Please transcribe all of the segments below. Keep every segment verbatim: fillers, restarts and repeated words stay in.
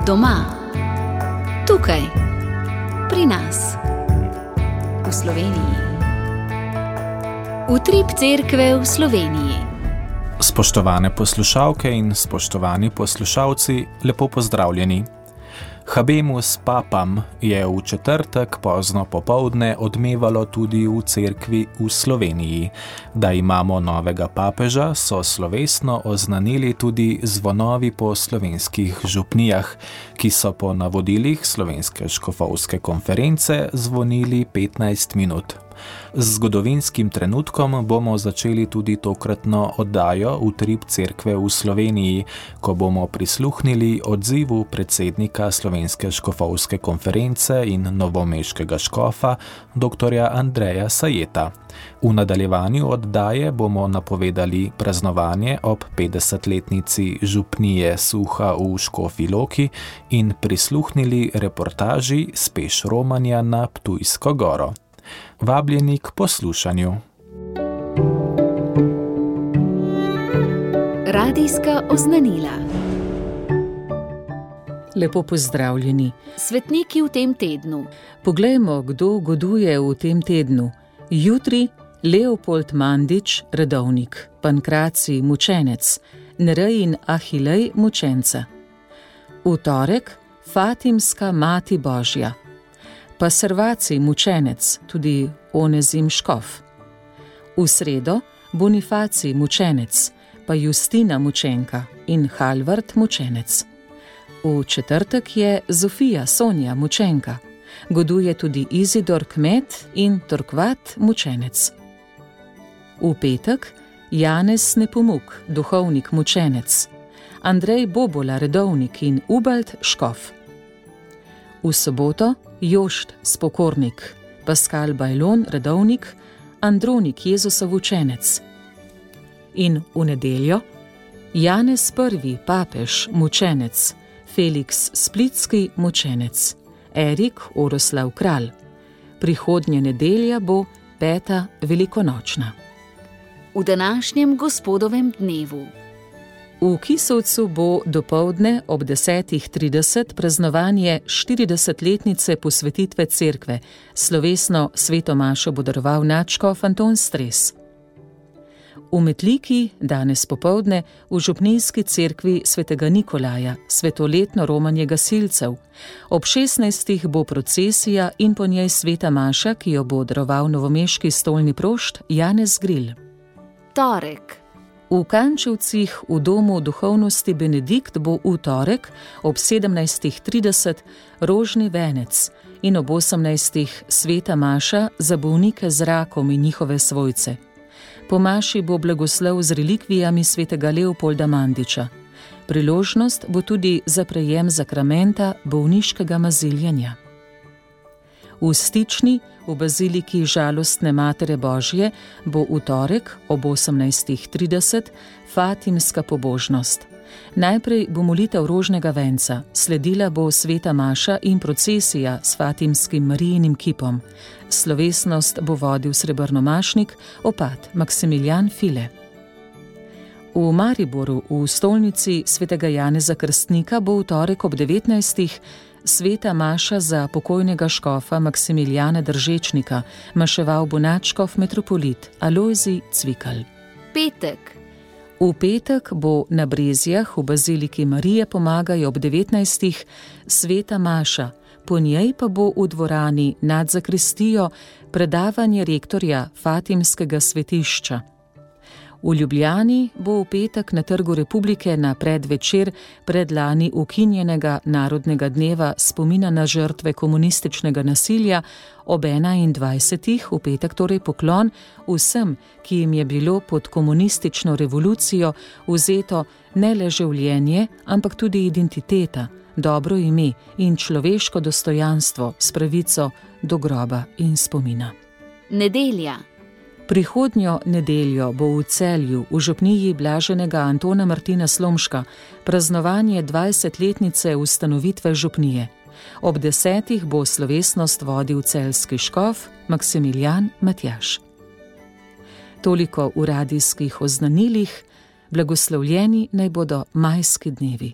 Doma, tukaj, pri nas, v Sloveniji. Utrip cerkve v Sloveniji. Spoštovane poslušalke in spoštovani poslušalci, lepo pozdravljeni. Habemus papam je v četrtek pozno popoldne odmevalo tudi v cerkvi v Sloveniji. Da imamo novega papeža, so slovesno oznanili tudi zvonovi po slovenskih župnijah, ki so po navodilih Slovenske škofovske konference zvonili petnajst minut. Z zgodovinskim trenutkom bomo začeli tudi tokratno oddajo Utrip cerkve v Sloveniji, ko bomo prisluhnili odzivu predsednika Slovenske škofovske konference in novomeškega škofa, doktorja Andreja Sajeta. V nadaljevanju oddaje bomo napovedali praznovanje ob petdesetletnici župnije Suha v Škofji Loki in prisluhnili reportaži s peš romanja na Ptujsko goro. Vabljeni k poslušanju. Radijska oznanila. Lepo pozdravljeni. Svetniki v tem tednu. Poglejmo, kdo goduje v tem tednu. Jutri Leopold Mandič, redovnik, Pankracij, mučenec, Nerej in Ahilej, mučenca. V torek Fatimska mati Božja, pa Servacij, mučenec, tudi Onezim škof. V sredo Bonifacij, mučenec, pa Justina, mučenka in Halvard, mučenec. V četrtek je Zofija, Sonja, mučenka. Goduje tudi Izidor, kmet in Torkvat, mučenec. V petek Janez Nepomuk, duhovnik, mučenec, Andrej Bobola, redovnik in Ubald, škof. V soboto Jošt, spokornik, Paskal Bajlon, redovnik, Andronik, Jezusov učenec. In v nedeljo Janez prvi, papež, mučenec, Feliks Splitski, mučenec, Erik Oroslav, kralj. Prihodnje nedelja bo peta velikonočna. V današnjem gospodovem dnevu. V Kisovcu bo dopoldne ob desetih trideset praznovanje štiridesetletnice posvetitve cerkve. Slovesno sveto mašo bo daroval nadškof Anton Stres. V Metliki danes popoldne v župnijski cerkvi svetega Nikolaja svetoletno romanje gasilcev. Ob šestnajstih bo procesija in po njej sveta maša, ki jo bo daroval novomeški stolni prošt Janez Gril. Torek. V Kančevcih v domu duhovnosti Benedikt bo v torek ob sedemnajstih trideset rožni venec in ob osemnajstih sveta maša za bolnike z rakom in njihove svojce. Po maši bo blagoslov z relikvijami svetega Leopolda Mandiča. Priložnost bo tudi za prejem zakramenta bolniškega maziljenja. V Stični v baziliki Žalostne Matere Božje bo v torek ob osemnajstih trideset Fatimska pobožnost. Najprej bo molitev rožnega venca, sledila bo sveta maša in procesija s fatimskim Marijinim kipom. Slovesnost bo vodil srebrnomašnik opat Maksimilijan File. V Mariboru v stolnici svetega Janeza Krstnika bo v torek ob devetnajstih sveta maša za pokojnega škofa Maksimilijana Držečnika, maševal bo nadškof metropolit Alojzij Cvikl. Petek. V petek bo na Brezjah v baziliki Marije Pomagaj ob devetnajstih sveta maša, po njej pa bo v dvorani nad zakristijo predavanje rektorja Fatimskega svetišča. V Ljubljani bo v petek na Trgu Republike na predvečer predlani ukinjenega narodnega dneva spomina na žrtve komunističnega nasilja ob enaindvajsetih v petek torej poklon vsem, ki jim je bilo pod komunistično revolucijo vzeto ne le življenje, ampak tudi identiteta, dobro ime in človeško dostojanstvo s pravico do groba in spomina. Nedelja. Prihodnjo nedeljo bo v Celju v župniji blaženega Antona Martina Slomška praznovanje dvajsetletnice ustanovitve župnije. Ob desetih bo slovesnost vodil celjski škof Maksimilijan Matjaž. Toliko v radijskih oznanilih, blagoslovljeni naj bodo majski dnevi.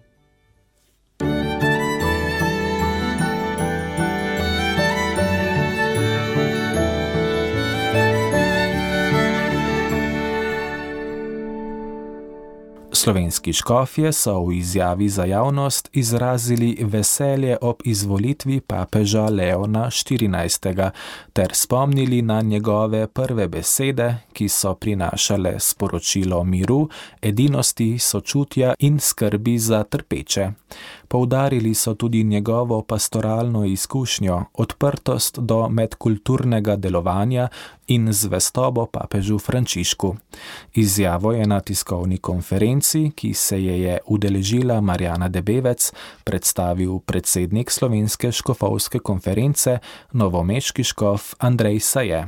Slovenski škofje so v izjavi za javnost izrazili veselje ob izvolitvi papeža Leona štirinajstega ter spomnili na njegove prve besede, ki so prinašale sporočilo miru, edinosti, sočutja in skrbi za trpeče. Poudarili so tudi njegovo pastoralno izkušnjo, odprtost do medkulturnega delovanja in zvestobo papežu Frančišku. Izjavo je na tiskovni konferenci, ki se je je udeležila Marjana Debevec, predstavil predsednik Slovenske škofovske konference, novomeški škof Andrej Saje.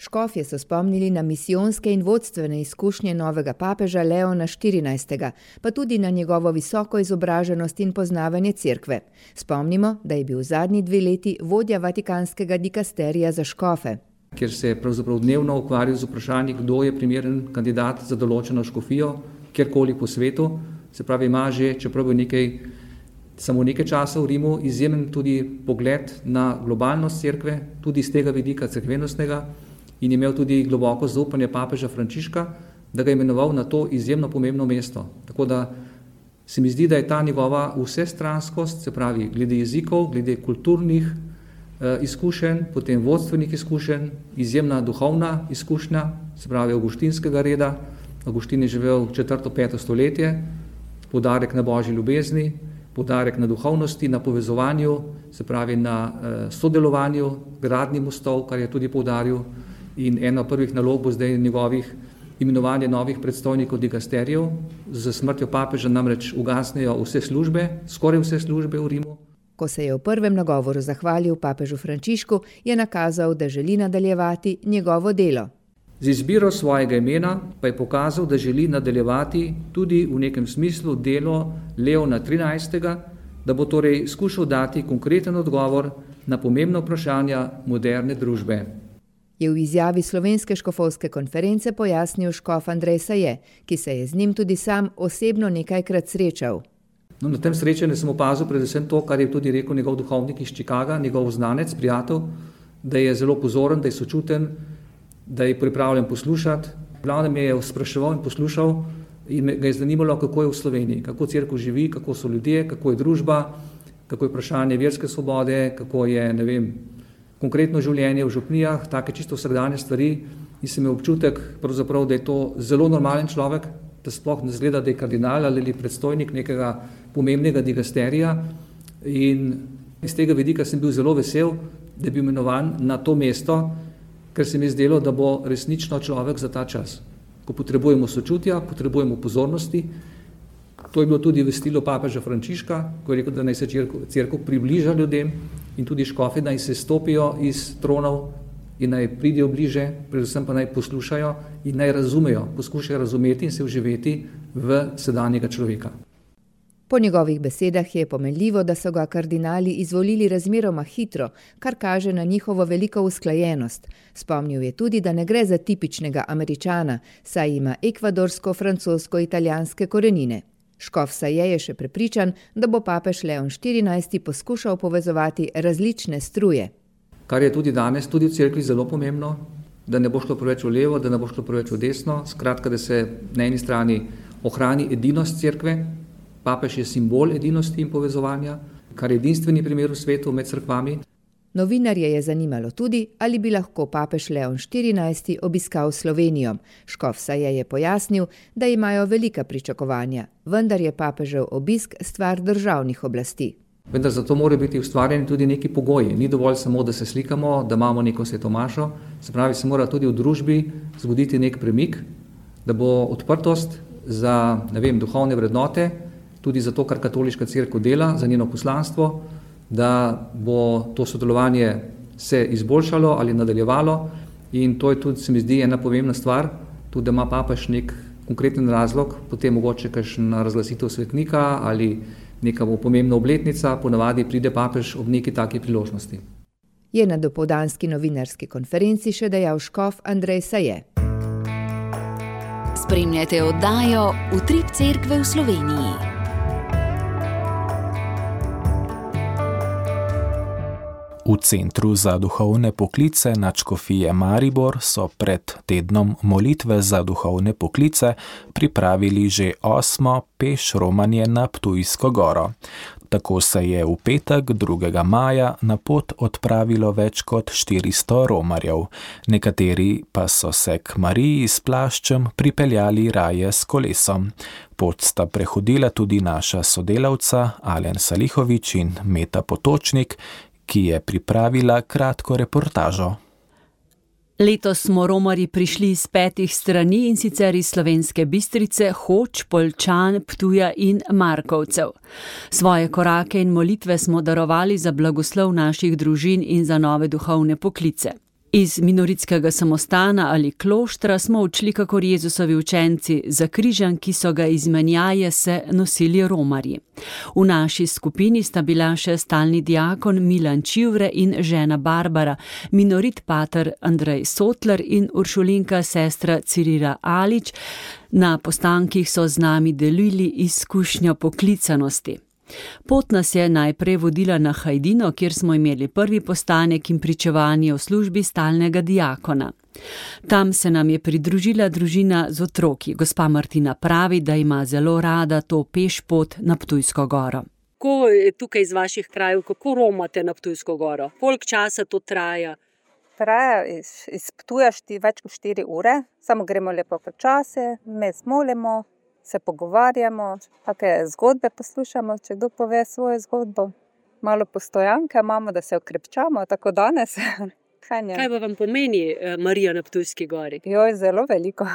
Škofje so spomnili na misijonske in vodstvene izkušnje novega papeža Leona štirinajstega, pa tudi na njegovo visoko izobraženost in poznavanje cerkve. Spomnimo, da je bil zadnji dve leti vodja Vatikanskega dikasterija za škofe. Kjer se je pravzaprav dnevno ukvarjal z vprašanji, kdo je primeren kandidat za določeno škofijo, kjerkoli po svetu. Se pravi, ima že, čeprav je nekaj, samo nekaj časa v Rimu, izjemen tudi pogled na globalnost cerkve, tudi z tega vidika cerkvenostnega, in je imel tudi globoko zaupanje papeža Frančiška, da ga je imenoval na to izjemno pomembno mesto. Tako da se mi zdi, da je ta njegova vsestranskost, se pravi, glede jezikov, glede kulturnih eh, izkušenj, potem vodstvenih izkušenj, izjemna duhovna izkušnja, se pravi, avguštinskega reda. Avguštin je živel četrto, peto stoletje, poudarek na božji ljubezni, poudarek na duhovnosti, na povezovanju, se pravi, na eh, sodelovanju, gradnji mostov, kar je tudi poudaril. In ena prvih nalog bo zdaj njegovih imenovanje novih predstojnikov dikasterijev. Z smrtjo papeža namreč ugasnejo vse službe, skoraj vse službe v Rimu. Ko se je v prvem nagovoru zahvalil papežu Frančišku, je nakazal, da želi nadaljevati njegovo delo. Z izbiro svojega imena pa je pokazal, da želi nadaljevati tudi v nekem smislu delo Leona trinajstega, da bo torej skušal dati konkreten odgovor na pomembna vprašanja moderne družbe. Je v izjavi Slovenske škofovske konference pojasnil škof Andrej Saje, ki se je z njim tudi sam osebno nekajkrat srečal. No, na tem srečanju sem opazil predvsem to, kar je tudi rekel njegov duhovnik iz Chicaga, njegov znanec, prijatelj, da je zelo pozoren, da je sočuten, da je pripravljen poslušati. Glavno me je spraševal in poslušal in me ga je zanimalo, kako je v Sloveniji, kako cerkev živi, kako so ljudje, kako je družba, kako je vprašanje verske svobode, kako je, ne vem, konkretno življenje v župnijah, take čisto vsakdanje stvari, in se mi je občutek, pravzaprav, da je to zelo normalen človek, da sploh ne zgleda, da je kardinal ali predstojnik nekega pomembnega dikasterija, in iz tega vidika sem bil zelo vesel, da je bil imenovan na to mesto, ker se mi je zdelo, da bo resnično človek za ta čas. Ko potrebujemo sočutja, potrebujemo pozornosti. To je bilo tudi vestilo papeža Frančiška, ko je rekel, da naj se cerkev približa ljudem in tudi škofi naj se stopijo iz tronov in naj pridejo bliže, predvsem pa naj poslušajo in naj razumejo, poskušajo razumeti in se vživeti v sedanjega človeka. Po njegovih besedah je pomenljivo, da so ga kardinali izvolili razmeroma hitro, kar kaže na njihovo veliko usklajenost. Spomnil je tudi, da ne gre za tipičnega Američana, saj ima ekvadorsko-francosko-italijanske korenine. Škof Saje je še prepričan, da bo papež Leon štirinajsti poskušal povezovati različne struje. Kar je tudi danes, tudi v cerkvi zelo pomembno, da ne bo šlo preveč v levo, da ne bo šlo preveč v desno, skratka, da se na eni strani ohrani edinost cerkve. Papež je simbol edinosti in povezovanja, kar je edinstveni primer v svetu med cerkvami. Novinarje je zanimalo tudi, ali bi lahko papež Leon štirinajsti obiskal Slovenijo. Škof Saje je pojasnil, da imajo velika pričakovanja, vendar je papežev obisk stvar državnih oblasti. Vendar zato mora biti ustvarjeni tudi neki pogoji. Ni dovolj samo, da se slikamo, da imamo neko svetomašo, se pravi, se mora tudi v družbi zgoditi nek premik, da bo odprtost za, ne vem, duhovne vrednote, tudi za to, kar katoliška cerkev dela, za njeno poslanstvo, da bo to sodelovanje se izboljšalo ali nadaljevalo, in to je tudi, se mi zdi, ena pomembna stvar, tudi da ima papež nek konkreten razlog, potem mogoče kakšna razglasitev svetnika ali neka pomembna obletnica, ponavadi pride papež ob neki taki priložnosti. Je na dopoldanski novinarski konferenci še dejal škof Andrej Saje. Spremljate oddajo Utrip cerkve v Sloveniji. V Centru za duhovne poklice nadškofije Maribor so pred tednom molitve za duhovne poklice pripravili že osmo peš romanje na Ptujsko goro. Tako se je v petek drugega maja na pot odpravilo več kot štiristo romarjev. Nekateri pa so se k Mariji s plaščem pripeljali raje s kolesom. Pot sta prehodila tudi naša sodelavca Alen Salihovič in Meta Potočnik, ki je pripravila kratko reportažo. Letos smo romarji prišli iz petih strani, in sicer iz Slovenske Bistrice, Hoč, Poljčan, Ptuja in Markovcev. Svoje korake in molitve smo darovali za blagoslov naših družin in za nove duhovne poklice. Iz minoritskega samostana ali kloštra smo odšli kakor Jezusovi učenci, za križem, ki so ga iz menjaje se nosili romarji. V naši skupini sta bila še stalni diakon Milan Čivre in žena Barbara, minorit pater Andrej Sotler in uršulinka sestra Cirila Alič. Na postankih so z nami delili izkušnjo poklicanosti. Pot nas je najprej vodila na Hajdino, kjer smo imeli prvi postanek in pričevanje o službi stalnega diakona. Tam se nam je pridružila družina z otroki. Gospa Martina pravi, da ima zelo rada to peš pot na Ptujsko goro. Kako je tukaj iz vaših krajev, kako romate na Ptujsko goro? Koliko časa to traja? Traja iz, iz Ptuja šti, več kot štiri ure, samo gremo lepo počasi, me smolimo, se pogovarjamo, kakšne zgodbe poslušamo, če kdo pove svojo zgodbo. Malo postojanke imamo, da se okrepčamo, tako danes. Kaj, Kaj pa vam pomeni Marija na Ptujski gori? Jo, je zelo veliko.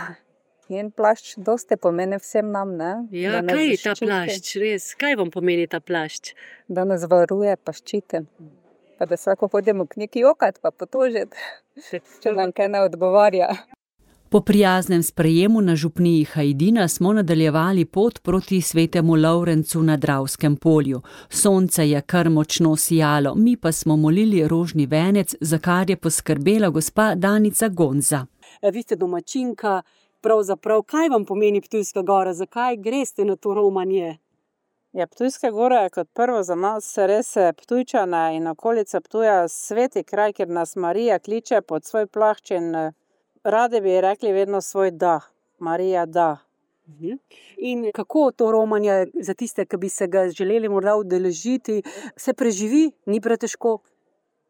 In plašč dosti pomeni vsem nam, ne? Ja, kaj je ta plašč, res? Kaj vam pomeni ta plašč? Da nas varuje, pa ščiti. Pa da se lahko hodimo k neki jokati, pa potožiti, če nam kaj ne odgovarja. Po prijaznem sprejemu na župniji Hajdina smo nadaljevali pot proti svetemu Lovrencu na Dravskem polju. Sonce je kar močno sijalo, mi pa smo molili rožni venec, za kar je poskrbela gospa Danica Gonza. Vi ste domačinka, pravzaprav, kaj vam pomeni Ptujska gora, zakaj greste na to romanje? Ja, Ptujska gora je kot prvo za nas res Ptujčana in okolica Ptuja sveti kraj, kjer nas Marija kliče pod svoj plašč in radi bi rekli vedno svoj da. Marija da. In kako to romanje za tiste, ki bi se ga želeli morda udeležiti, se preživi? Ni pretežko?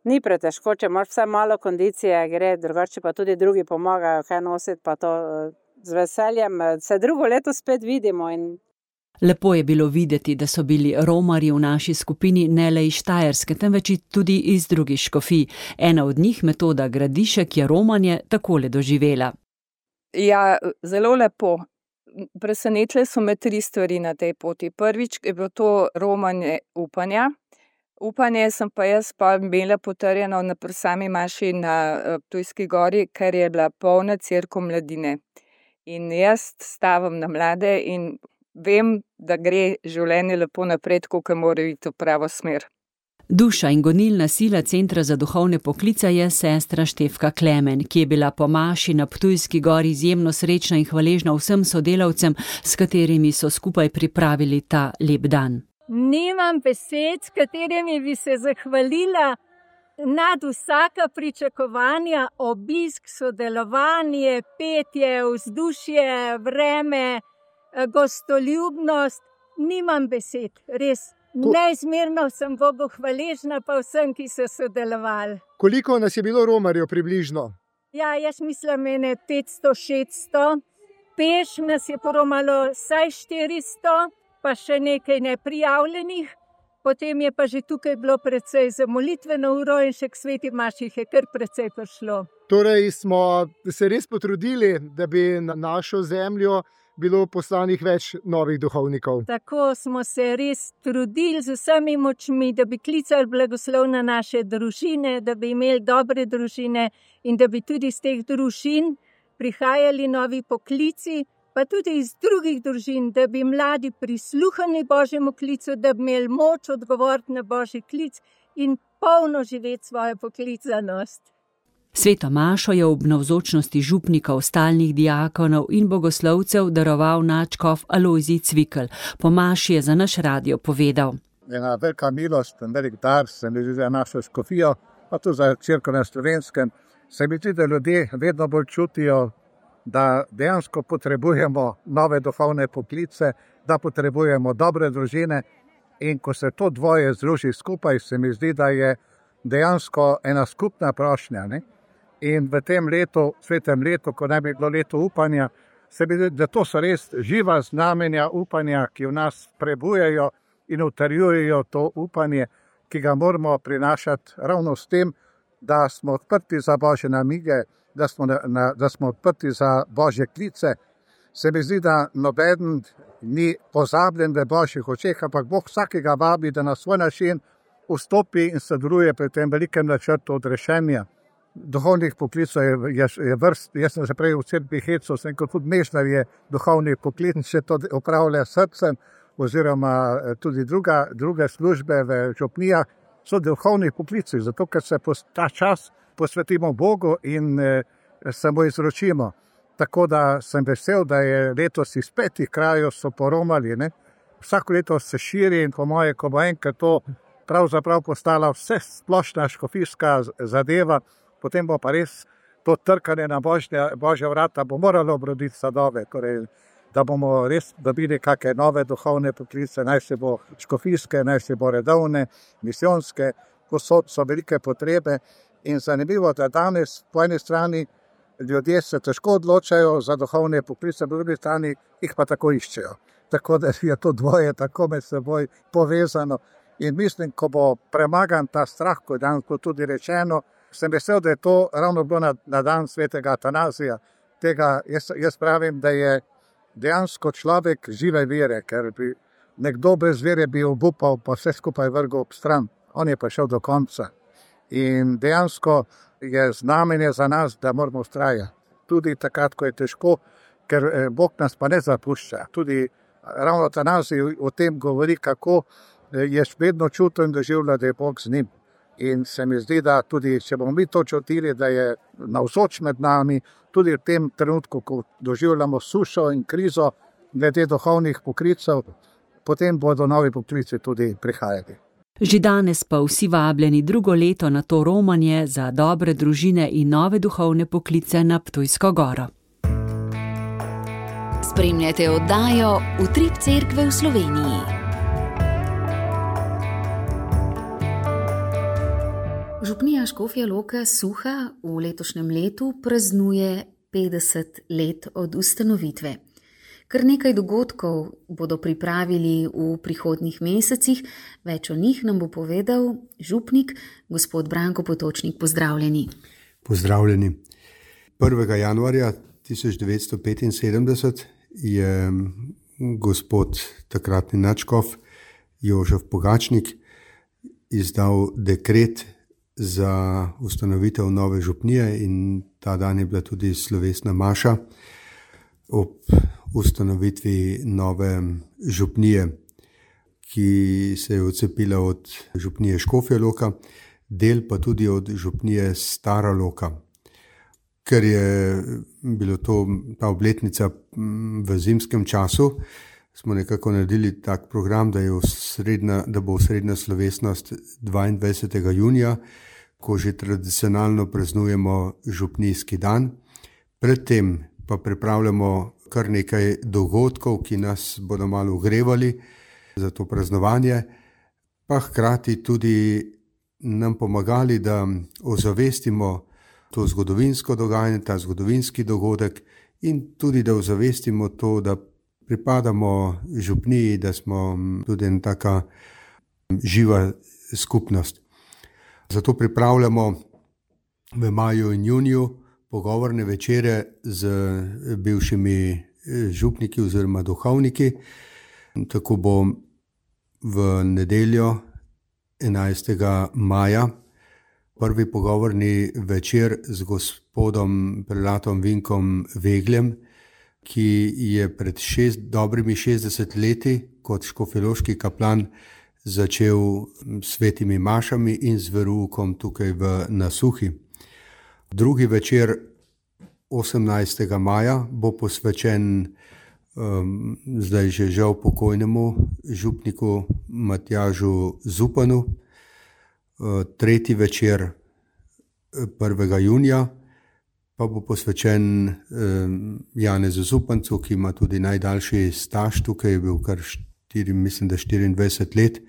Ni pretežko, če imaš vsaj malo kondicije, gre, drugače pa tudi drugi pomagajo, kaj nositi, pa to z veseljem. Se drugo leto spet vidimo. In Lepo je bilo videti, da so bili romarji v naši skupini ne le iz Štajerske, temveč tudi iz drugih škofij. Ena od njih, Metoda Gradišek, je romanje takole doživela. Ja, zelo lepo. Presenečile so me tri stvari na tej poti. Prvič je bilo to romanje upanja. Upanje sem pa jaz pa imela potrjeno na sami maši na Ptujski gori, ker je bila polna cerkev mladine. In jaz stavim na mlade in vem, da gre življenje lepo naprej, ko mora iti v pravo smer. Duša in gonilna sila Centra za duhovne poklice je sestra Štefka Klemen, ki je bila po maši na Ptujski gori izjemno srečna in hvaležna vsem sodelavcem, s katerimi so skupaj pripravili ta lep dan. Nimam besed, s katerimi bi se zahvalila nad vsaka pričakovanja, obisk, sodelovanje, petje, vzdušje, vreme, gostoljubnost. Nimam besed, res. Neizmerno sem Bogu hvaležna pa vsem, ki so sodelovali. Koliko nas je bilo romarjev približno? Ja, jaz mislim, mene petsto šeststo. Peš nas je poromalo vsaj štiristo, pa še nekaj neprijavljenih. Potem je pa že tukaj bilo precej za molitveno uro in še k sveti maši je kar precej prišlo. Torej smo se res potrudili, da bi na našo zemljo bilo poslanih več novih duhovnikov. Tako smo se res trudili z vsemi močmi, da bi klicali blagoslov na naše družine, da bi imeli dobre družine in da bi tudi iz teh družin prihajali novi poklici, pa tudi iz drugih družin, da bi mladi prisluhnili Božjemu klicu, da bi imeli moč odgovoriti na Božji klic in polno živeti svojo poklicanost. Sveto mašo je ob navzočnosti župnikov, stalnih diakonov in bogoslovcev daroval nadškof Alojzij Cvikl. Po maši je za naš radio povedal. Ena velika milost, en velik dar sem doživel za našo škofijo, pa tudi za cerkev na Slovenskem, se mi zdi, da ljudje vedno bolj čutijo, da dejansko potrebujemo nove duhovne poklice, da potrebujemo dobre družine, in ko se to dvoje združi skupaj, se mi zdi, da je dejansko ena skupna prošnja. Ne? In v tem letu, svetem letu, ko naj bi bilo leto upanja, se mi zdi, da to so res živa znamenja upanja, ki v nas prebujajo in utrjujejo to upanje, ki ga moramo prinašati ravno s tem, da smo odprti za Božje namige, da smo, na, da smo odprti za Božje klice. Se mi zdi, da noben ni pozabljen v Božjih očeh, ampak Bog vsakega vabi, da na svoj način vstopi in sodeluje pri tem velikem načrtu odrešenja. Duhovnih poklicov je, je, je vrst, jaz sem se prej v cerkvi hecal, sem kot tudi mešnar je duhovni poklic, če to upravlja srcem, oziroma tudi druga, druge službe v župnijah, so duhovni poklici, zato ker se ta čas posvetimo Bogu in eh, se mu izročimo. Tako da sem vesel, da je letos iz petih krajev so poromali. Ne? Vsako leto se širi in po moje, ko bo enkrat to pravzaprav postala vse splošna škofijska zadeva, potem bo pa res to trkanje na Božje, Božja vrata bo moralo obroditi sadove, torej, da bomo res dobili kakšne nove duhovne poklice, naj se bo škofijske, naj se bo redovne, misijonske, posod so velike potrebe. In zanimivo, da danes po eni strani ljudje se težko odločajo za duhovne poklice, po drugi strani jih pa tako iščejo. Tako da je to dvoje tako med seboj povezano. In mislim, ko bo premagan ta strah, ko je danes tudi rečeno, sem vesel, da je to ravno bilo na, na dan svetega Atanazija. Tega jaz, jaz pravim, da je dejansko človek žive vere, ker bi nekdo brez vere bi obupal, pa vse skupaj vrgel ob stran. On je pa šel do konca. In dejansko je znamenje za nas, da moramo vztrajati. Tudi takrat, ko je težko, ker Bog nas pa ne zapušča. Tudi ravno Atanazij o tem govori, kako je vedno čutil in doživljal, da je Bog z njim. In se mi zdi, da tudi, če bomo mi to čutili, da je navzoč med nami, tudi v tem trenutku, ko doživljamo sušo in krizo glede duhovnih poklicev, potem bodo novi poklici tudi prihajali. Že danes pa vsi vabljeni drugo leto na to romanje za dobre družine in nove duhovne poklice na Ptujsko goro. Spremljate oddajo Utrip cerkve v Sloveniji. Župnija Škofja Loka Suha v letošnjem letu praznuje petdeset let od ustanovitve. Kar nekaj dogodkov bodo pripravili v prihodnjih mesecih, več o njih nam bo povedal župnik, gospod Branko Potočnik. Pozdravljeni. Pozdravljeni. prvega januarja tisoč devetsto petinsedemdeset je gospod takratni nadškof Jožef Pogačnik izdal dekret za ustanovitev nove župnije in ta dan je bila tudi slovesna maša ob ustanovitvi nove župnije, ki se je odcepila od župnije Škofja Loka, del pa tudi od župnije Stara Loka. Ker je bilo to ta obletnica v zimskem času, smo nekako naredili tak program, da, je osrednja, da bo osrednja slovesnost dvaindvajsetega junija, ko že tradicionalno praznujemo župnijski dan. Predtem pa pripravljamo kar nekaj dogodkov, ki nas bodo malo ogrevali za to praznovanje, pa hkrati tudi nam pomagali, da ozavestimo to zgodovinsko dogajanje, ta zgodovinski dogodek in tudi da ozavestimo to, da pripadamo župniji, da smo tudi ena taka živa skupnost. Zato pripravljamo v maju in juniju pogovorne večere z bivšimi župniki oziroma duhovniki. Tako bo v nedeljo enajstega maja prvi pogovorni večer z gospodom prelatom Vinkom Vegljem, ki je pred šest, dobrimi šestdeset leti kot škofjeloški kaplan začel svetimi mašami in z veroukom tukaj v Nasuhi. Drugi večer osemnajstega maja bo posvečen um, zdaj že žal pokojnemu župniku Matjažu Zupanu. Uh, tretji večer prvega junija, pa bo posvečen Janezu Zupancu, ki ima tudi najdaljši staž tukaj, je bil kar štiri, mislim, da štiriindvajset let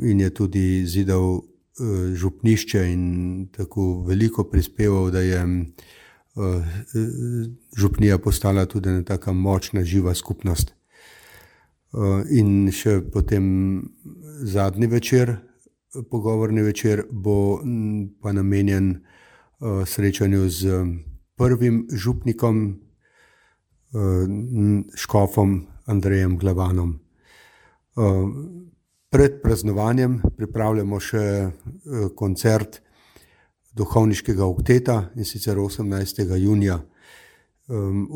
in je tudi zidal župnišče in tako veliko prispeval, da je župnija postala tudi ena taka močna, živa skupnost. In še potem zadnji večer, pogovorni večer, bo pa namenjen srečanju z prvim župnikom, škofom Andrejem Glavanom. Pred praznovanjem pripravljamo še koncert duhovniškega okteta, in sicer osemnajstega junija.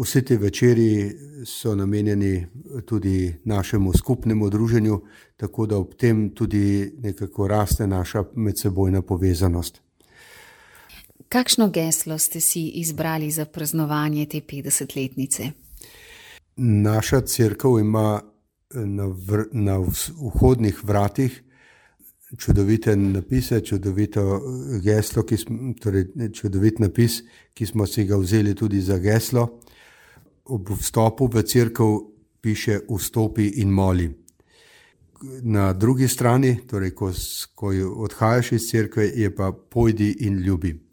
Vsi ti večeri so namenjeni tudi našemu skupnemu druženju, tako da ob tem tudi nekako raste naša medsebojna povezanost. Kakšno geslo ste si izbrali za praznovanje te petdesetletnice? Naša cerkev ima na, vr, na vhodnih vratih čudovite napise, čudovito geslo, ki smo, torej čudovit napis, ki smo si ga vzeli tudi za geslo. Ob vstopu v cerkev piše vstopi in moli. Na drugi strani, torej ko, ko odhajaš iz cerkve, je pa pojdi in ljubi.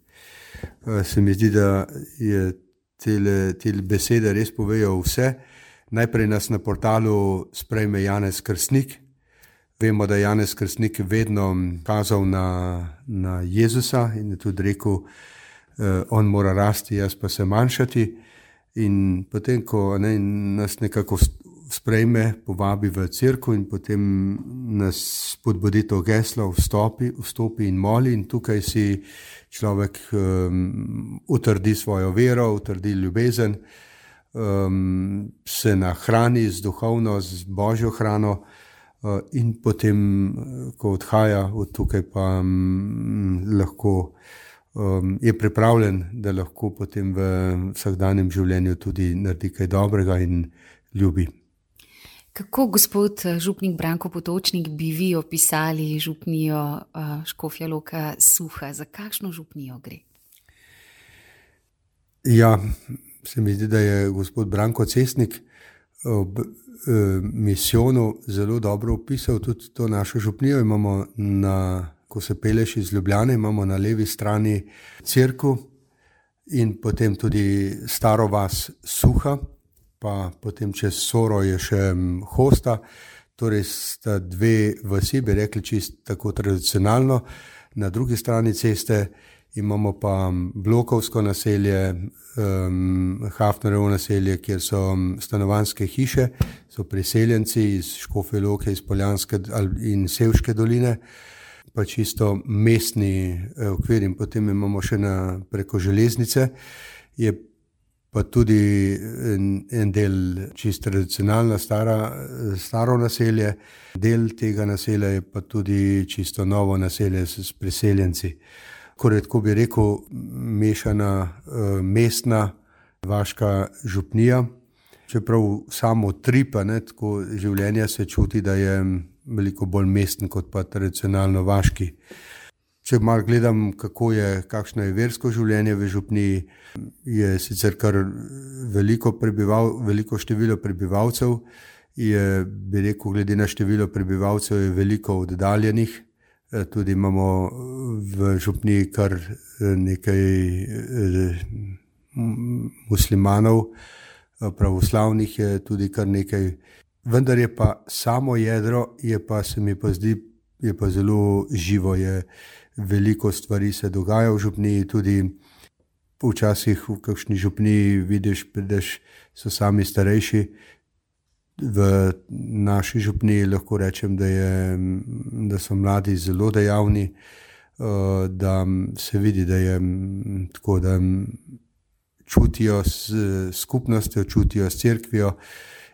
Se mi zdi, da je tele, tele besede res povejo vse. Najprej nas na portalu sprejme Janez Krstnik. Vemo, da je Janez Krstnik vedno kazal na, na Jezusa in je tudi rekel, on mora rasti, jaz pa se manjšati. In potem, ko ne, nas nekako sprejme, povabi v cerkev in potem nas spodbudi to geslo, vstopi, vstopi in moli, in tukaj si človek um, utrdi svojo vero, utrdi ljubezen, um, se nahrani z duhovno, z božjo hrano uh, in potem, ko odhaja od tukaj, pa um, lahko um, je pripravljen, da lahko potem v vsakdanjem življenju tudi naredi kaj dobrega in ljubi. Kako, gospod župnik Branko Potočnik, bi vi opisali župnijo uh, Škofja Loka Suha? Za kakšno župnijo gre? Ja, se mi zdi, da je gospod Branko Cesnik ob eh, misijonu zelo dobro opisal tudi to našo župnijo. Imamo na, ko se peleš iz Ljubljane, imamo na levi strani cerkev in potem tudi staro vas Suha, pa potem čez Soro je še Hosta, torej sta dve vasi, bi rekli čisto tako tradicionalno. Na drugi strani ceste imamo pa blokovsko naselje, um, Hafnerovo naselje, kjer so stanovanjske hiše, so priseljenci iz Škofje Loke, iz Poljanske in Sevške doline, pa čisto mestni okvir. In potem imamo še na, preko železnice, je pa tudi en, en del čisto tradicionalna stara, staro naselje, del tega naselja je pa tudi čisto novo naselje s, s priseljenci. Ko bi rekel, mešana mestna vaška župnija, čeprav samo tripa, ne, tako življenje se čuti, da je veliko bolj mesten kot pa tradicionalno vaški. Če malo gledam, kako je, kakšno je versko življenje v župniji, je sicer kar veliko, prebival, veliko število prebivalcev, je, bi rekel, glede na število prebivalcev je veliko oddaljenih. Tudi imamo v župniji kar nekaj muslimanov, pravoslavnih je tudi kar nekaj. Vendar je pa samo jedro, je pa, se mi pa zdi, je pa zelo živo, je veliko stvari se dogaja v župniji, tudi včasih v kakšni župniji vidiš, prideš, so sami starejši. V naši župniji lahko rečem, da, je, da so mladi zelo dejavni, da se vidi, da je tako, da čutijo s skupnostjo, čutijo s cerkvijo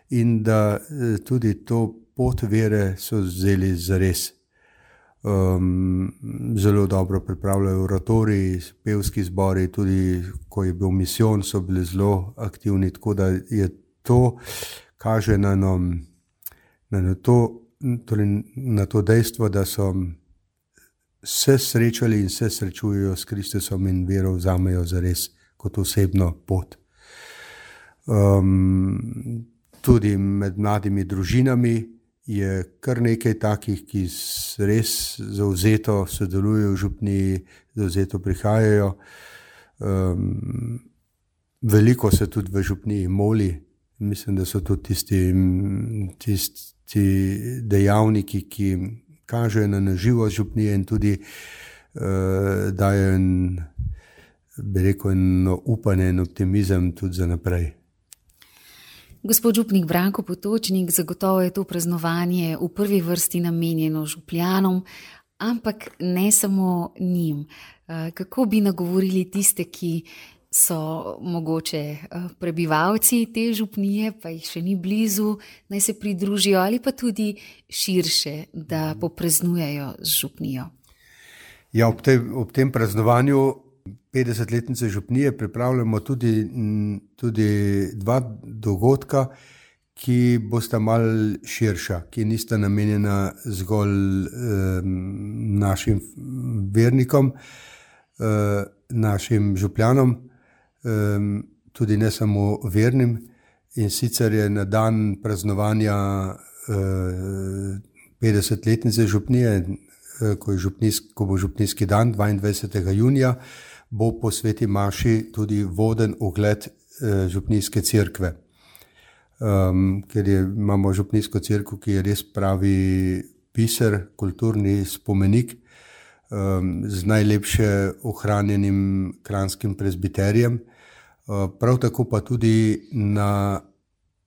in da tudi to pot vere so vzeli zares. Um, zelo dobro pripravljajo oratoriji, pevski zbori, tudi ko je bil misijon, so bili zelo aktivni, tako da je to kaže na, no, na, na, to, torej na to dejstvo, da so se srečali in se srečujejo s Kristusom in vero vzamejo zares kot osebno pot. Um, tudi med mladimi družinami je kar nekaj takih, ki res zavzeto sodelujejo v župniji, zavzeto prihajajo. Um, veliko se tudi v župniji moli. Mislim, da so tudi tisti, tisti dejavniki, ki kažejo na naživost župnije in tudi uh, dajo en, bi rekel, eno upanje in optimizem tudi za naprej. Gospod župnik Branko Potočnik, zagotovo je to praznovanje v prvi vrsti namenjeno župljanom, ampak ne samo njim. Kako bi nagovorili tiste, ki so mogoče prebivalci te župnije, pa jih še ni blizu, naj se pridružijo ali pa tudi širše, da popraznujejo z župnijo? Ja, ob, te, ob tem praznovanju petdesetletnice župnije pripravljamo tudi, tudi dva dogodka, ki bosta malo širša, ki nista namenjena zgolj eh, našim vernikom, eh, našim župljanom, eh, tudi ne samo vernim. In sicer je na dan praznovanja eh, petdesetletnice župnije, eh, ko, je župnijsk, ko bo župnijski dan, dvaindvajsetega junija, bo po sveti maši tudi voden ogled eh, župnijske cerkve. Um, ker je, imamo župnijsko cerkev, ki je res pravi biser, kulturni spomenik um, z najlepše ohranjenim kranjskim prezbiterijem. Uh, prav tako pa tudi na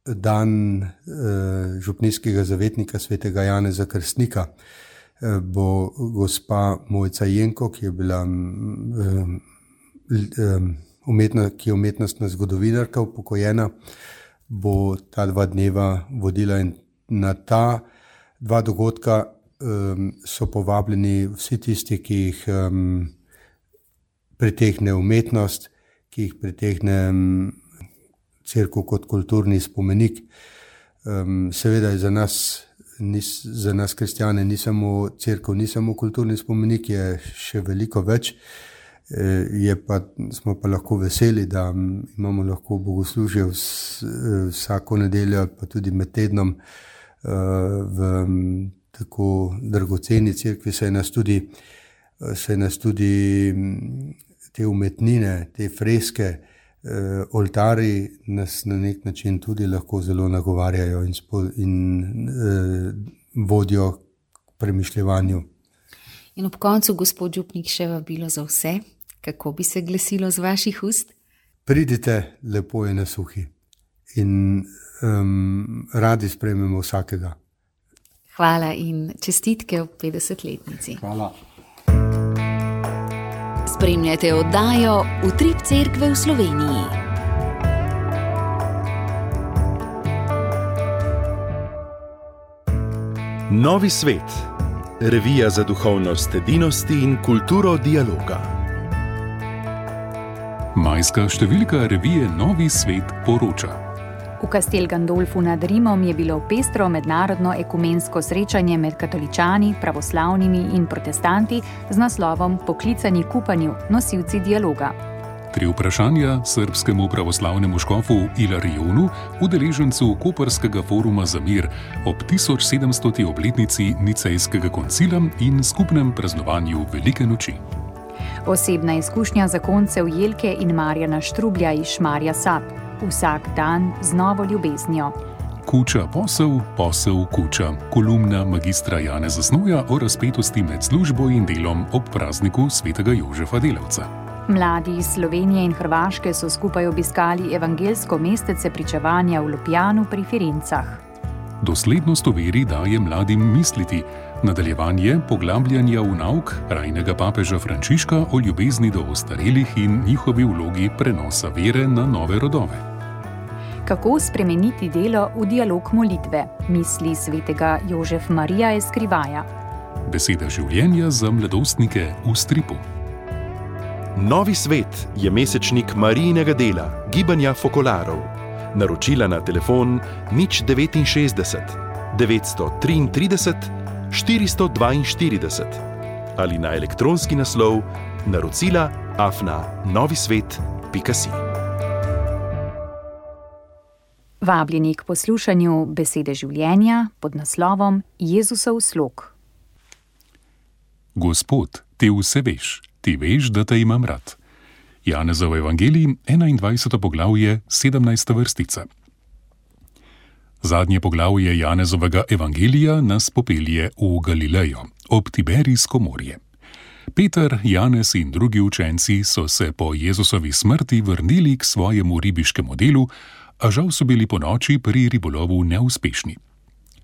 dan uh, župnijskega zavetnika svetega Janeza Krstnika uh, bo gospa Mojca Jenko, ki je bila um, Umetna, ki je umetnostna zgodovinarka, upokojena, bo ta dva dneva vodila in na ta dva dogodka um, so povabljeni vsi tisti, ki jih um, pritegne umetnost, ki jih pritegne um, cerkev kot kulturni spomenik. Um, seveda je za nas, ni, za nas kristjane ni samo cerkev, ni samo kulturni spomenik, je še veliko več. Je pa, smo pa lahko veseli, da imamo lahko bogoslužje vsako nedeljo, pa tudi med tednom v tako dragoceni cerkvi, saj nas tudi, saj nas tudi te umetnine, te freske, oltarji nas na nek način tudi lahko zelo nagovarjajo in, spo, in vodijo k premišljevanju. In ob koncu, gospod župnik, še vabilo za vse. Kako bi se glasilo z vaših ust? Pridite, lepo je na suhi in um, radi sprejmemo vsakega. Hvala in čestitke ob petdesetletnici. Hvala. Spremljate oddajo Utrip cerkve v Sloveniji. Novi svet. Revija za duhovnost edinosti in kulturo dialoga. Majska številka revije Novi svet poroča. V Castel Gandolfu nad Rimom je bilo pestro mednarodno ekumensko srečanje med katoličani, pravoslavnimi in protestanti z naslovom Poklicani k upanju, nosilci dialoga. Tri vprašanja srbskemu pravoslavnemu škofu Ilarijonu, udeležencu Koprskega foruma za mir ob tisoč sedemstoti obletnici Nicejskega koncila in skupnem praznovanju Velike noči. Osebna izkušnja zakoncev Jelke in Marjana Štrublja iz Šmarja Sap. Vsak dan z novo ljubeznijo. Kuča posel, posel kuča. Kolumna magistra Janeza Snoja o razpetosti med službo in delom ob prazniku svetega Jožefa Delavca. Mladi iz Slovenije in Hrvaške so skupaj obiskali evangelsko mestece pričevanja v Ljubljanu pri Firencah. Doslednost v veri daje mladim misliti. Nadaljevanje poglabljanja v nauk rajnega papeža Frančiška o ljubezni do ostarelih in njihovi vlogi prenosa vere na nove rodove. Kako spremeniti delo v dialog molitve, misli svetega Jožef Marija Eskrivaja. Beseda življenja za mladostnike v stripu. Novi svet je mesečnik Marijinega dela, gibanja Fokolarov. Naročila na telefon nič devetinšestdeset devetsto triintrideset štiristo dvainštirideset ali na elektronski naslov naročila afna novisvet pika si. Vabljeni k poslušanju besede življenja pod naslovom Jezusov slog. Gospod, ti vse veš, ti veš, da te imam rad. Janezov evangelij, enaindvajseto poglavje, sedemnajsta vrstica. Zadnje poglavje Janezovega evangelija nas popelje v Galilejo, ob Tiberijsko morje. Peter, Janez in drugi učenci so se po Jezusovi smrti vrnili k svojemu ribiškemu delu, a žal so bili ponoči pri ribolovu neuspešni.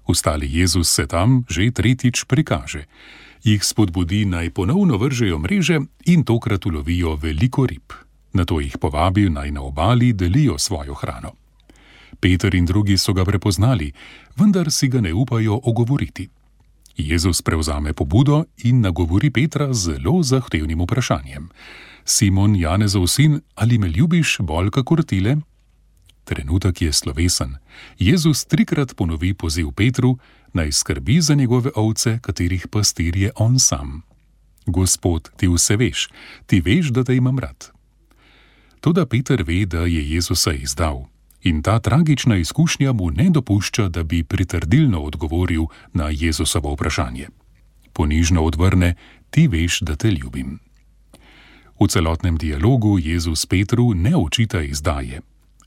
Ustali Jezus se tam že tretjič prikaže. Jih spodbudi naj ponovno vržejo mreže in tokrat ulovijo veliko rib. Nato jih povabi naj na obali delijo svojo hrano. Peter in drugi so ga prepoznali, vendar si ga ne upajo ogovoriti. Jezus prevzame pobudo in nagovori Petra z zelo zahtevnim vprašanjem. Simon, Janezov sin, ali me ljubiš bolj kakor tile? Trenutek je slovesen. Jezus trikrat ponovi poziv Petru, naj skrbi za njegove ovce, katerih pastir je on sam. Gospod, ti vse veš, ti veš, da te imam rad. Toda Peter ve, da je Jezusa izdal. In ta tragična izkušnja mu ne dopušča, da bi pritrdilno odgovoril na Jezusovo vprašanje. Ponižno odvrne, ti veš, da te ljubim. V celotnem dialogu Jezus Petru ne očita izdaje.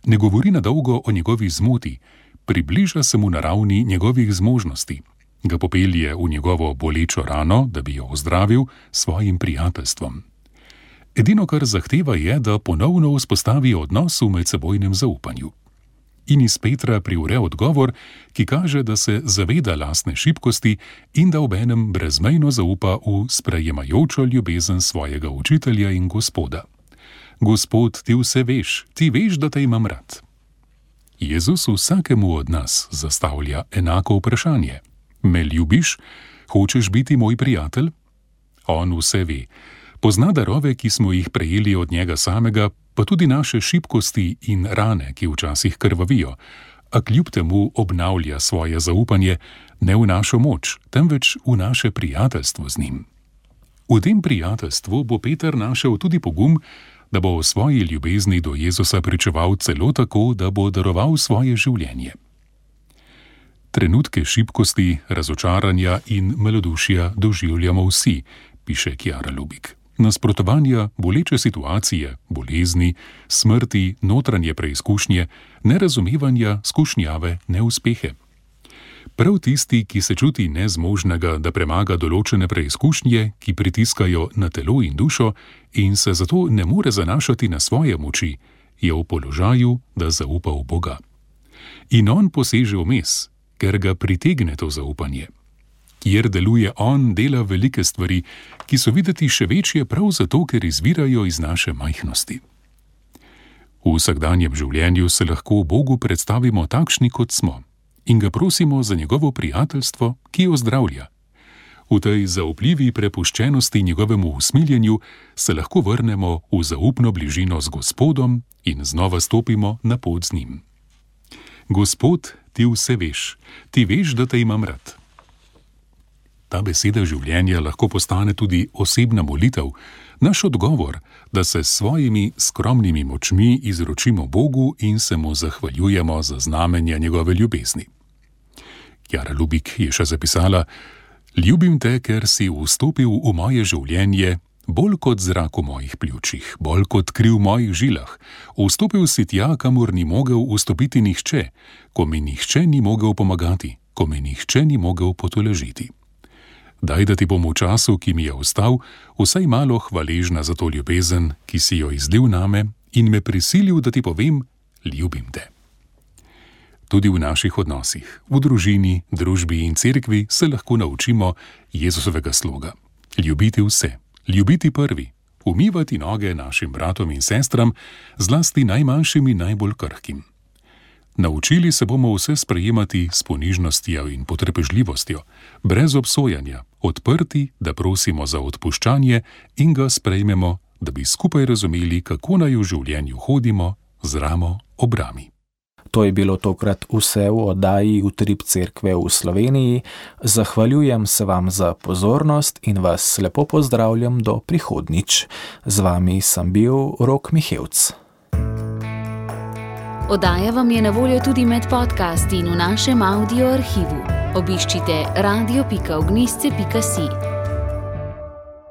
Ne govori na dolgo o njegovi zmoti, približa se mu na ravni njegovih zmožnosti, ga popelje v njegovo bolečo rano, da bi jo ozdravil s svojim prijateljstvom. Edino, kar zahteva, je, da ponovno vzpostavi odnos v medsebojnem zaupanju. In iz Petra privre odgovor, ki kaže, da se zaveda lastne šibkosti in da obenem brezmejno zaupa v sprejemajočo ljubezen svojega učitelja in Gospoda. Gospod, ti vse veš, ti veš, da te imam rad. Jezus vsakemu od nas zastavlja enako vprašanje. Me ljubiš? Hočeš biti moj prijatelj? On vse ve. Pozna darove, ki smo jih prejeli od njega samega, pa tudi naše šibkosti in rane, ki včasih krvavijo, a kljub temu obnavlja svoje zaupanje ne v našo moč, temveč v naše prijateljstvo z njim. V tem prijateljstvu bo Peter našel tudi pogum, da bo o svoji ljubezni do Jezusa pričeval celo tako, da bo daroval svoje življenje. Trenutke šibkosti, razočaranja in malodušja doživljamo vsi, piše Kjara Lubik. Nasprotovanja, boleče situacije, bolezni, smrti, notranje preizkušnje, nerazumevanja, skušnjave, neuspehe. Prav tisti, ki se čuti nezmožnega, da premaga določene preizkušnje, ki pritiskajo na telo in dušo in se zato ne more zanašati na svoje moči, je v položaju, da zaupa v Boga. In on poseže vmes, ker ga pritegne to zaupanje. Kjer deluje on, dela velike stvari, ki so videti še večje prav zato, ker izvirajo iz naše majhnosti. V vsakdanjem življenju se lahko Bogu predstavimo takšni, kot smo, in ga prosimo za njegovo prijateljstvo, ki jo zdravlja. V tej zaupljivi prepuščenosti njegovemu usmiljenju se lahko vrnemo v zaupno bližino z Gospodom in znova stopimo na pot z njim. Gospod, ti vse veš, ti veš, da te imam rad. Ta beseda življenja lahko postane tudi osebna molitev, naš odgovor, da se s svojimi skromnimi močmi izročimo Bogu in se mu zahvaljujemo za znamenja njegove ljubezni. Kjara Lubik je še zapisala: Ljubim te, ker si vstopil v moje življenje, bolj kot zrak v mojih pljučih, bolj kot kri v mojih žilah. Vstopil si tja, kamor ni mogel vstopiti nihče, ko mi nihče ni mogel pomagati, ko mi nihče ni mogel potolažiti. Daj, da ti bom v času, ki mi je ostal, vsaj malo hvaležna za to ljubezen, ki si jo izlil name in me prisilil, da ti povem, ljubim te. Tudi v naših odnosih, v družini, družbi in cerkvi se lahko naučimo Jezusovega sloga. Ljubiti vse, ljubiti prvi, umivati noge našim bratom in sestram, zlasti najmanjšim in najbolj krhkim. Naučili se bomo vse sprejemati s ponižnostjo in potrpežljivostjo, brez obsojanja, odprti, da prosimo za odpuščanje in ga sprejmemo, da bi skupaj razumeli, kako naj v življenju hodimo z ramo ob rami. To je bilo tokrat vse v oddaji Utrip cerkve v Sloveniji. Zahvaljujem se vam za pozornost in vas lepo pozdravljam do prihodnjič. Z vami sem bil Rok Mihevc. Oddaja vam je na voljo tudi med podcasti in v našem audio arhivu. Obiščite radio pika ognjišče pika si.